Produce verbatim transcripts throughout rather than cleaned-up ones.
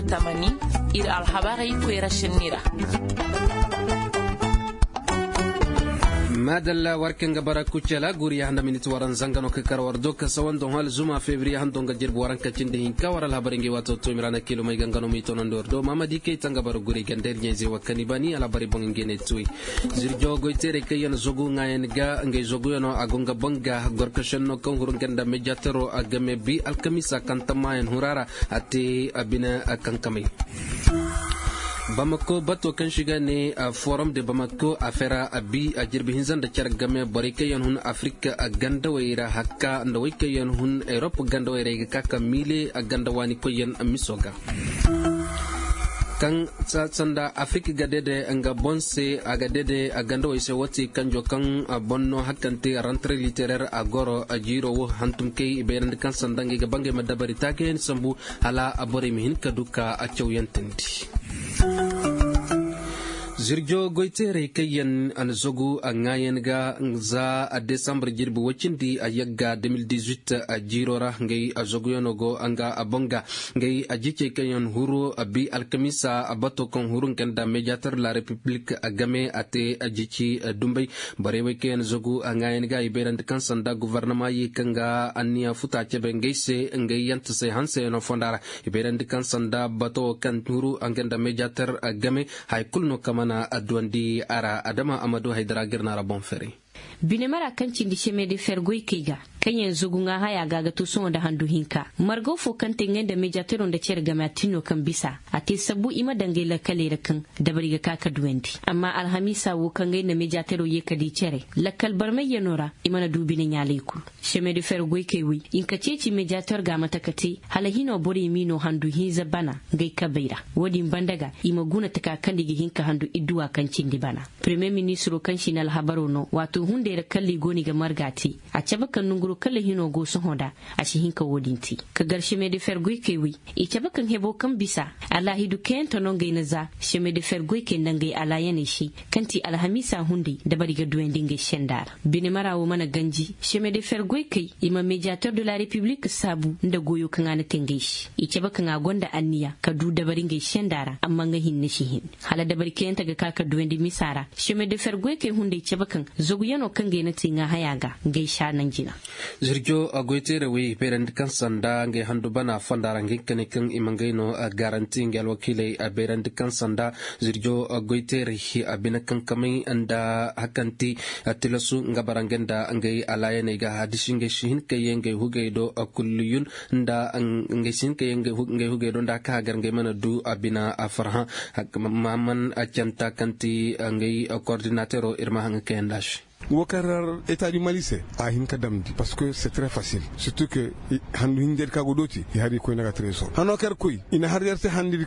Tamani, ir alhabarey koyra senni ra. Maadalla war kaŋ ga bara kucala guuri ya handa miniti waran zanga no ka kar war do ka sawan don hal zuma febriye hando nga jirbi waranka cindi hinka war alhabarey ngey waato to mirana kilo may ganga no may tonandi war do mamadi kay tanga bara guuri ganda ir ɲayze wa kani bani alhabarey boŋ ngey ne tuwey. Zirjo goyteerey kaŋ yaŋ zogu ŋaayan ga ngey zoguyaŋo a go nga boŋ ga gorkasenno kaŋ huru nga nda mejatero a game bi alkamisa kaŋ tammayaŋ hura ra a te a bine a kankamay. Bamako bato kaŋ si ga ne forum de bamako a fera a bi a jirbi hinza nda care game borey kaŋ yaŋ hun afirika gandawey ra hakka nda wey kaŋ yaŋ hun erop gandawey ra i ga ka ka miile ganda waani koyyaŋ miso ga. Kaŋ sanda afirika ga dede nga boŋ se a ga dede gandawey se woo ti kanjo kaŋ boŋ no hakkante rantre literer a goro jiiro wo hantum kay i bayrandi kaŋ sanda ngey ga ba ngey ma dabari taakayaŋ sambu hala borey ma hin ka du ka cawyantandi. Zirjo goyteerey kaŋ yaŋ a na zagu a ŋaayan ga za a desambar jirbi woy cindi a yagga deux mille dix-huit a jiiro ra ngey a zaguyaŋo go nga a boŋ ga ngey a jicey kaŋ yaŋ huru a bi alkamiisa a bato kaŋ huru nga nda mediator la repiblik a game a te a jici dumbay. Borey wey kaŋ yaŋ zagu a ŋaayan ga i bayrandi kaŋ sanda govornama ye kaŋ ga anniya futa cebe ngey se ngey yanta se hanseyaŋo fonda ra. I bayrandi kaŋ sanda bato wo kaŋ huru nga nda mediator game. Hay kulu no kaŋ mana adduwandi a ra adama amadu haydara ga ir na ra boŋ fere. Binemara kaŋ cindi seme de fer goykey ga kaŋ yaŋ zagu ŋaa haya ga a ga to sohõ nda handu hinka margo fo kaŋ te ngey nda mediatero nda cere game a tin no kaŋ bisa a te sabbu i ma daŋ ngey lakkaley ra kaŋ dabari ga ka ka duwandi. Amma alhamiisa wo kaŋ ngey nda mediatero ye ka di cere lakkal barmayyanoo ra i mana du bine ɲaalay kul. Seme de fer goykey wey i nka ceeci mediator ga a mate ka te hala hinoo borey m'i no handu hinza bana ngey kabey ra. Wo-din banda ga i ma guna taka kaŋ nda i ga hin ka handu idduwa kaŋ cindi bana. Premiyer ministiroo kaŋ si na alhabaroo no waato hunday ra kalla i go no i ga marga te. A cabe kaŋ nanguroo kalla hinoo go sohõ nda a si hin ka wo-din te. Ka gar seme de fer goykey wey i cabe kaŋ heboo kaŋ bisa alaahidu kayante no ngey na za seme de fer goykey nda ngey alaayaney se kaŋ ti alhamiisa hunday dabari ga duwandi ngey senda ra. Binemara wo mana ganji seme de fer goykey i ma mediator de la repiblik saabu nda goyoo kaŋ a na te ngey se i cabe kaŋ a gonda anniya ka du dabari ngey senda ra amma nga hinne si hin hala dabari kayante ga ka ka duwandi misa ra. Seme de fer goykey hunday cabe kaŋ zaguyanoo kaŋ ngey na te ŋaa haya ga ngey saananji na. Zirjo goyteerey wey i bayrandi kaŋ sanda ngey handu bana fonda ra ngey kane kaŋ i ma ngey no garanti ngey alwakiiley a bayrandi kaŋ sanda zirjo goyteerey a bine kaŋ kamay nda hakanti tilasu nga bara ngey nda ngey alaayaney ga hadisi ngey si hin ka ye ngey hugey do kulliyun nda ngey si hin ka ye ngey hugey do nda ka hagar ngey mana du a bina a farhã. Maman canta kaŋ ti ngey kordinateero ir ma haŋ kayanda se. Wo kaŋ ra eta di mali se a hin ka damndi parce que c'est très facile surtout que handu hinja di ka go dooti i har i koy naga trésor hano kaŋ ir koy i na har yer se handu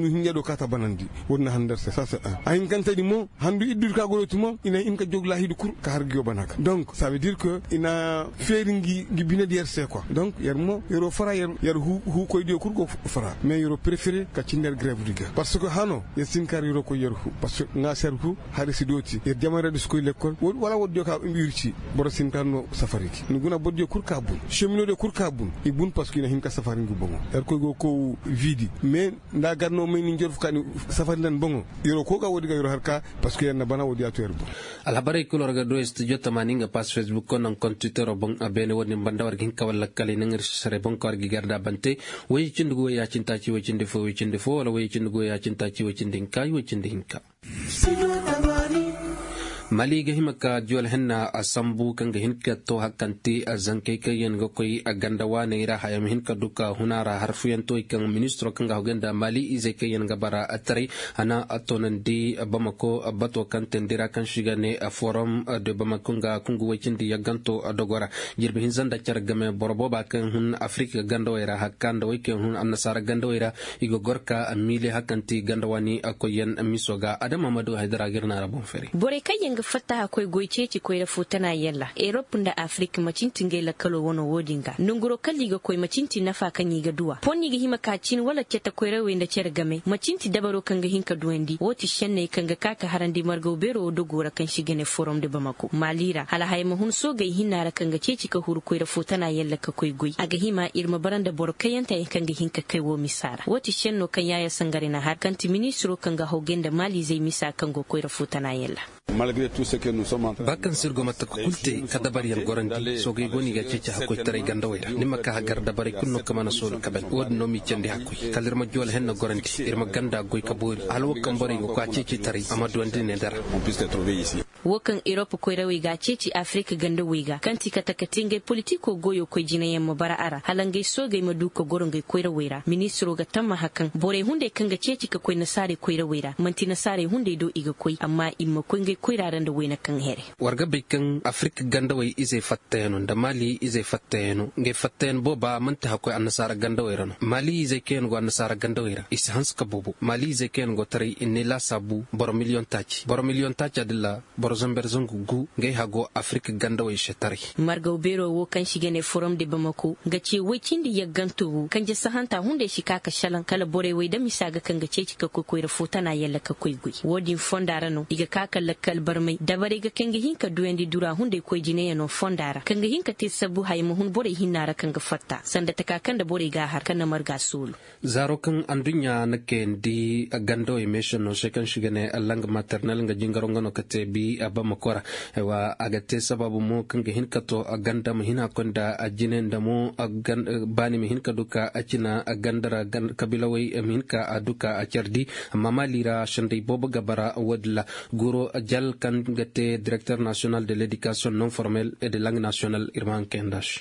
hinja do ka ta banandi. Wo-din na handu yer se sa se a hinkante di mo handu iddu di ka go dooti mo i na hin ka jog laahidu kul ka har ngiyo bana ga donc ça veut dire que i na feeri ngi bine di yer se quoi donc yer mo yeroo fara yer huu koy diyo kul go fara mais yeroo préféré ka cindi yer grève di ga parce que hano yer si hin ka har yeroo koy yer huu parce que ŋaa se yer huu hari si dooti yer jamayradi si koy lekkol wala woddiyo ka ir ci boro si hin ka har no safari gi ni guna bordiyo kul ka bun seminodiyo kul ka bun i bun parce que i na hin ka safari ngi boŋo yer koy go kow vidi mais nda a gar no may ni njer fu ka ni safari nda ni boŋo yeroo kow ga woddi ga yeroo har ka parce que yer na bana woddi a to yer bun. Alhabarey kul war ga du studio tamaani nga pass facebook ko naŋ kontiteroo boŋ a beene woddi ni banda war ga hin ka walla kala i naŋ ir sisarey boŋ ka war ga i gar nda a bante. Woy cindi gu woy yaacintaaci woy cindi fo woy cindi fo wala woy cindi gu woy yaacintaaci woy cindi hinka woy cindi hinka. Mali ga hima ka juwal henna a sambu kaŋ ga hin ka to hakkante zankey kaŋ yaŋ ga koy ganda waaney ra haya ma hin ka du ka huna ra harfuyantoy kaŋ ministiro kaŋ ga hogay nda mali izey kaŋ yaŋ ga bara taray a na a toonandi bamako bato kaŋ teendi ra kaŋ se i ga ne forum de bamako nga kungu woy cindi yagganto dogo ra. Jirbi hinza nda care game boro booba kaŋ hun afirika gandawey ra hakka nda wey kaŋ hun annasaara gandawey ra i ga gor ka miile hakanti ganda waani koyyaŋ miso ga adama ma du haydara ga ir na ra boŋ fere. Borey kaŋ yaŋ Fattaha koy goy ceeci koyra fo tana yalla erop nda afirik macinti ngey lakkaloo wanoo woo din ga nonguroo kala i ga koy macinti nafa kaŋ i ga duw'a pon i ga hima ka cin wala cete koyrawey nda cere game macinti dabaroo kaŋ ga hin ka duwandi woo ti šenney kaŋ ga ka ka harandi margaw beeroo woo dogoo ra kaŋ se i ga ne forom de bamako maali ra hala haya ma hun soogey hinna ra kaŋ ga ceeci ka huru koyra fo tana yalla ka koy goy a ga hima ir ma bara nda boro kayyanteyaŋ kaŋ ga hin ka kay woo misa ra woo ti šennoo kaŋ yaaya sangare na har kaŋ ti ministiroo kaŋ ga hawgay nda maaliizey misa kaŋ go koyra fo tana yalla. Ba kaŋ se ir go ma taka kul te ka dabaryaŋ gorandi soogey go no i ga a ceeci hakkoytaray gandawey ra ni ma ka hagar dabarey kul no kaŋ mana soolu ka ban woo din no m'i candi hakkoy kala ir ma joole henna gorandi ir ma ganda goy ka boori hala woo kaŋ borey go koy a ceeci taray a ma duwandi ne dara. Woo kaŋ erop koyrawey ga a ceeci afirik gandawey ga kaŋ ti kate kate ngey politikoo goyoo koy jinayaŋ ma bara a ra hala ngey soogey ma du ka goro ngey koyrawey ra ministiroo ga tammaha kaŋ borey hunday kaŋ ga ceeci ka koy nasaarey koyrawey ra man'ti nasaarey hunday do i ga koy amma i ma koy ngey koyra ra nda wayna kaŋ here. War ga bay kaŋ afirik gandawey izey fattayano nda maali izey fattayano ngey fattayan booba man'ti hakkoy annasaara gandawey ra no maali izey kaŋ yaŋ go annasaara gandawey ra i si hanse ka boobo maali izey kaŋ yaŋ go taray i ne laasaabu boro miliyoŋ taaci boro miliyoŋ taaca din ra boro zamber zangu gu ngey hago afirik gandawey se taray. Margaw beeroo woo kaŋ se i ga ne forom de bamako ga ce woy cindi yaggantoo woo kanje sahanta hunday si ka ka šelaŋ kala borey wey da misa ga kaŋ ga ceeci ka koy koyra fo tana yalla ka koy goy woo din fonda ra no i ga ka ka lakkal barmay dabarey ga kaŋ ga hin ka duyandi dura hunday koy jinayanoo fonda ra kaŋ ga hin ka te sabbu haya ma hun borey hinna ra kaŋ ga fatta sanda taka kaŋ nda borey g'a har kaŋ na marga soolu. Zaaro kaŋ anduɲɲa na kayandi gandawey meesenoo se kaŋ se i ga ne lang maternel nga jingaro nga no ka te bi bamako ra. A ga te sabaabu mo kaŋ ga hin ka to ganda ma hin hakkoy nda jine nda mo baani ma hin ka du ka cina ganda ra kabiilawey ma hin ka du ka cardi. Amma maali ra sendey boobo ga bara woodin ra. Guro jal kaŋ ga te direkter nasiyonal de ledikasiyoŋ non formel e de lang nasiyonal ir ma haŋ kayandi a se.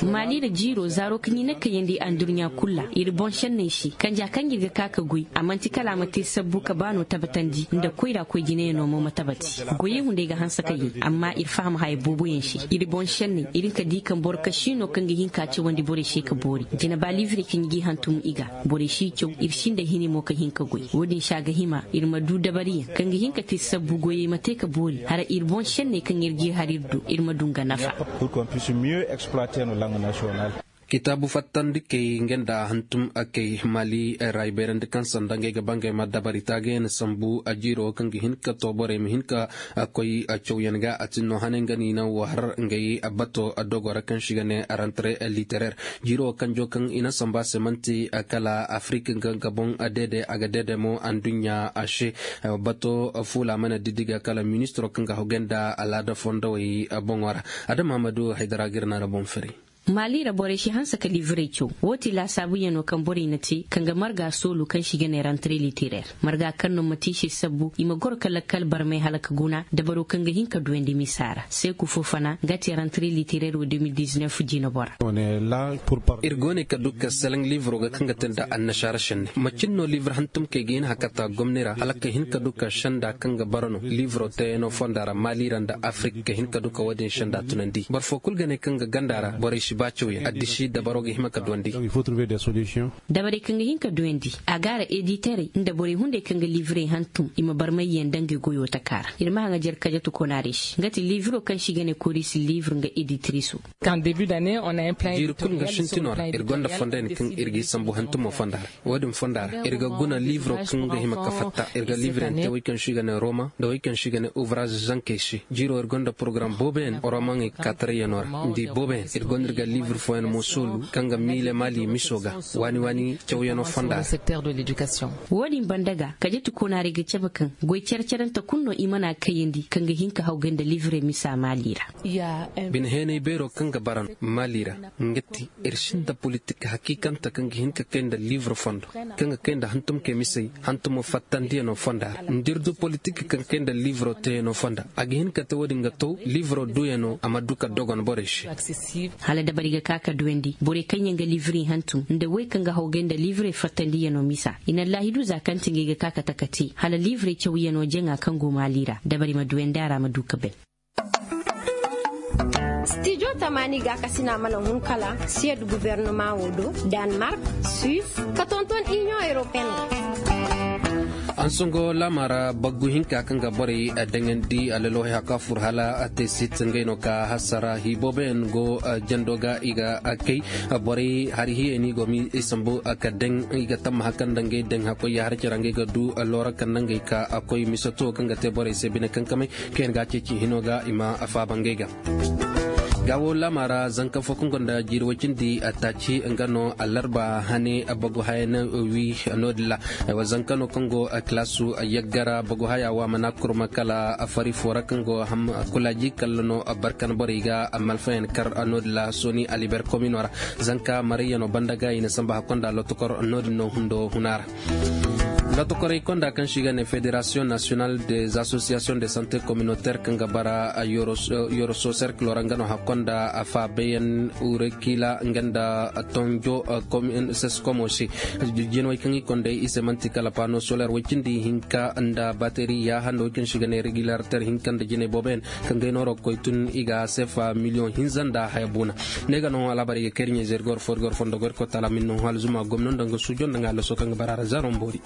Maali ra jiiroo zaaroo kaŋ i na kayandi andurɲa kul ra ir boŋ šenney se kanja kaŋ ir ga ka ka goy a man'ti kala a ma te sabbu ka baanoo tabatandi nda koyra koy jinayanoo mo ma tabati. Goyey hunday ga hanse ka yay amma ir faham haya booboyaŋ se ir boŋ šenney ir hin ka di kaŋ boro kasiinoo kaŋ ga hin ka cawandi borey se ka boori jina ba liivrey kaŋ i g'i hantum i ga borey si caw ir sinda hini mo ka hin ka goy woo din se a ga hima ir ma du dabariyaŋ kaŋ ga hin ka te sabbu goyey ma te ka boori hara ir boŋ šenney kaŋ ir g'i har ir do ir ma du nga nafa. Kitaabu fattandikey nga nda hantum kay maali ra i bayrandi kaŋ sanda ngey ga ba ngey ma dabari taagayaŋ sambu jiiro kaŋ ga hin ka to borey ma hin ka koy cawyaŋ ga a tin no hanay nga no i na war ngey bato dogo ra kaŋ se i ga ne rantre literer. Jiiro kanjo kaŋ i na sambu a se man'ti kala afirik nga ga boŋ deede a ga deede mo anduɲɲa a se. Bato fuula mana diddi ga kala ministiro kaŋ ga hogay nda alaada fondowey boŋo ra. Adama hamadu haydara ga ir naara boŋ fari. Maali ra borey si hanse ka liivrey caw woo ti laasaabuyanoo kaŋ borey na te kaŋ ga marga soolu kaŋ se i ga ne rantre literer. Marga kaŋ no ma te i se sabbu i ma goro ka lakkal barmay hala ka guna dabaroo kaŋ ga hin ka duyandi misa ra seeku foo fana nga te rantre literer woo de mil dizinef jiinabora. Ir go ne ka du ka seleŋ liivro ga kaŋ ga te nda annasaara senne macin no liivr hantumkey ga hin hakata gomni ra hala ka hin ka du ka senda kaŋ ga bara no liivro teeyanoo fonda ra maali ra nda afirik ka hin ka du ka woo din senda tunandi boro foo kul ga ne kaŋ ga ganda ra borey si ba cawyaŋ addisi dabaro ga hima ka duwandi. Dabarey kaŋ ga hin ka duyandi a gaara editerey nda borey hunday kaŋ ga liivrey hantum i ma barmayyaŋ dangey goyoo taka ra ir ma haŋa jer kajatu konaarey se nga ti liivro kaŋ se i ga ne korisi liivr nga editiriso. Jiiri kul nga sintinoo ra ir gonda fonda yaŋ kaŋ ir g'i sambu hantumoo fonda ra. Woo din fonda ra ir ga guna liivro kaŋ ga hima ka fatta ir ga liivro yaŋ te woy kaŋ se i ga ne roma nda woy kaŋ se i ga ne uvraz zankey se. Jiiro ir gonda porogaram booboyaŋ romaŋey kaatarayanoo ra nda i booboyaŋ ir gonda ir ga liivro fooyaŋ mo soolu kaŋ ga miile maali miso ga waani waani cawyanoo fonda ra. Woo din banda ga kajatu konaarey ga cabe kaŋ goy care carante kul no i mana kayandi kaŋ ga hin ka hawgay nda liivro misa maali ra. Bine heenay beeroo kaŋ ga bara no maali ra nga ti ir sinda politik hakiikante kaŋ ga hin ka kay nda liivro fondo kaŋ ga kay nda hantumkey misey hantumo fattandiyanoo fonda ra nda ir du politik kaŋ kay nda liivro teeyanoo fonda a ga hin ka te woo din ga taw liivro duuyanoo a ma du ka dogon borey se. Hala dabari ga ka ka duyandi borey kaŋ yaŋ ga liivri hantum nda wey kaŋ ga hawgay nda liivri fattandiyanoo misa i na allaahidu za kaŋ ti ngey ga ka ka taka te hala liivri cawyanoo jaŋa kaŋ go maali ra dabari ma duyandi a ra ma du ka bay. Stijo tamaani gaakasina mana hun kala siyed gubernumaŋo do, danmark, suis, ka tonton iniyoŋ europeen ga. Songo laama ra baggu hinka kaŋ ga borey daŋandi alalohay haka fur hala tesit ngey no ka hasara hi booboyaŋ go jando ga i ga kay. Borey hari hiyey no i go ma i sambu ka daŋ i ga tamma haka nda ngey daŋ hakkoy ya har care ngey ga du loora kaŋ nda ngey ka koy misato kaŋ ga te borey se bine kankamay kaŋ yaŋ ga a ceeci hino ga i ma faaba ngey ga. Ga wo laama ra zanka fo kaŋ gonda jiiri way cindi taaci nga no alarba hane bagu haya na wi no- din ra. Zanka no kaŋ go kilaasu yaggara bagu haya wa mana kurma kala fari fo ra kaŋ go kulaaji kalla no barkan borey ga malfayaŋ kar no- din ra soni aliber komino ra. Zanka marayya no banda ga i na samba hakkonda lotokor no- din no hundo huna ra. Lotokorey konda kaŋ se i ga ne federasiyoŋ nasiyonal des asosiyasiyoŋ de sante kominoter kaŋ ga bara yoroso serkilo ra nga no hakkonda faabayaŋ urekila nga nda tonjo ses komo se. Jinawey kaŋ i konda i se man'ti kala pano soler way cindi hinka nda bateri ya hando kaŋ se i ga ne regilarter hinka nda jinay booboyaŋ kaŋ ga ay nooro ga koy tun i ga sefa miliyoŋ hinza nda haya buuna. Ne ga no alaabarey ga kay ir ɲa-ize ir goro fo ir goro fondo go ir koy taala min no hala zuma gomno nda nga suujo nda nga allaso kaŋ ga bara ra zaaro mboori.